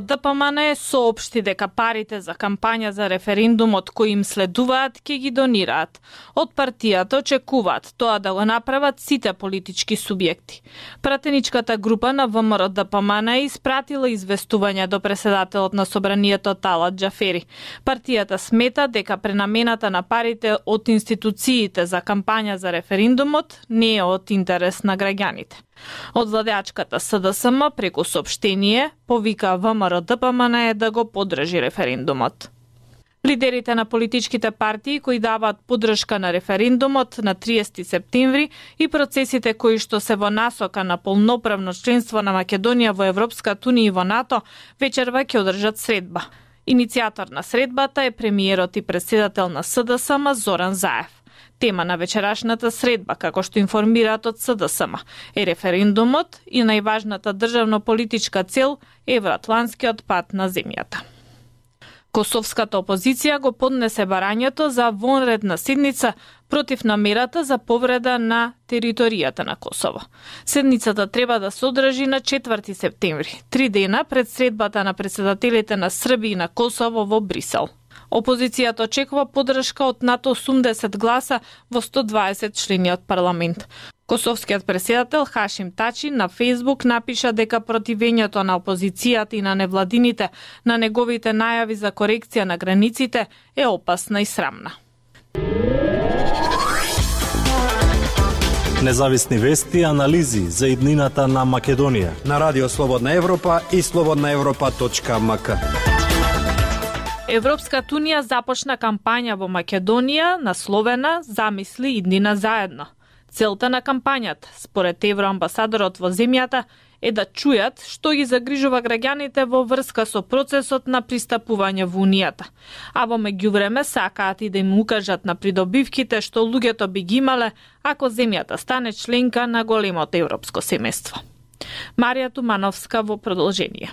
ДПМН соопшти дека парите за кампања за референдумот кои им следуваат ќе ги донираат. Од партијата очекуваат тоа да го направат сите политички субјекти. Пратеничката група на ВМРО ДПМН испратила известување до претседателот на собранието Талат Џафери. Партијата смета дека пренамената на парите од институциите за кампања за референдумот не е од интерес на граѓаните. Од владеачката СДСМ преку соопштение повика ВМРО ДПМН да го поддржи референдумот. Лидерите на политичките партии кои даваат поддршка на референдумот на 30 септември и процесите кои што се во насока на полноправно членство на Македонија во Европската унија и во НАТО вечерва ќе одржат средба. Иницијатор на средбата е премиерот и претседател на СДСМ Зоран Заев. Тема на вечерашната средба, како што информираат од СДСМ, е референдумот и најважната државно-политичка цел евроатлантскиот пат на земјата. Косовската опозиција го поднесе барањето за вонредна седница против намерата за повреда на територијата на Косово. Седницата треба да се одржи на 4 септември, 3 дена пред средбата на претседателите на Србија и на Косово во Брисел. Опозицијата очекува поддршка од над 80 гласа во 120 члени од парламент. Косовскиот претседател Хашим Тачи на Фејсбук напиша дека противењето на опозицијата и на невладините на неговите најави за корекција на границите е опасна и срамна. Независни вести и анализи за иднината на Македонија на Радио Слободна Европа и slobodnaevropa.mk. Европската унија започна кампања во Македонија насловена "Замисли иднина заедно". Целта на кампањата, според евроамбасадорот во земјата, е да чујат што ги загрижува граѓаните во врска со процесот на пристапување во Унијата. А во меѓувреме сакаат и да им укажат на придобивките што луѓето би ги имале ако земјата стане членка на големото европско семејство. Марија Тумановска во продолжение.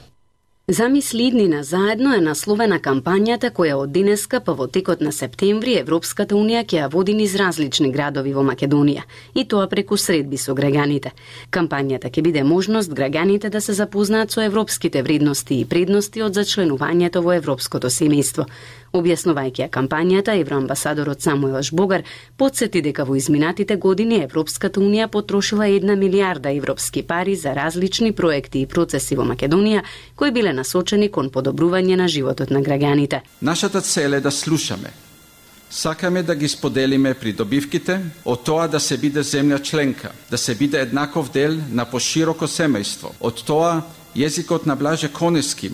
Замисли иднина заедно е насловена кампањата која од денеска па во текот на септември Европската унија ќе ја води низ различни градови во Македонија, и тоа преку средби со граѓаните. Кампањата ќе биде можност граѓаните да се запознаат со европските вредности и предности од зачленувањето во европското семејство. Објаснувајќи ја кампањата, евроамбасадорот Самуел Жбогар потсети дека во изминатите години Европската унија потрошила 1 милијарда европски пари за различни проекти и процеси во Македонија кои биле насочени кон подобрување на животот на граѓаните. Нашата цел е да слушаме. Сакаме да ги споделиме придобивките од тоа да се биде земја членка, да се биде еднаков дел на пошироко семејство, од тоа језикот на Блаже Конески,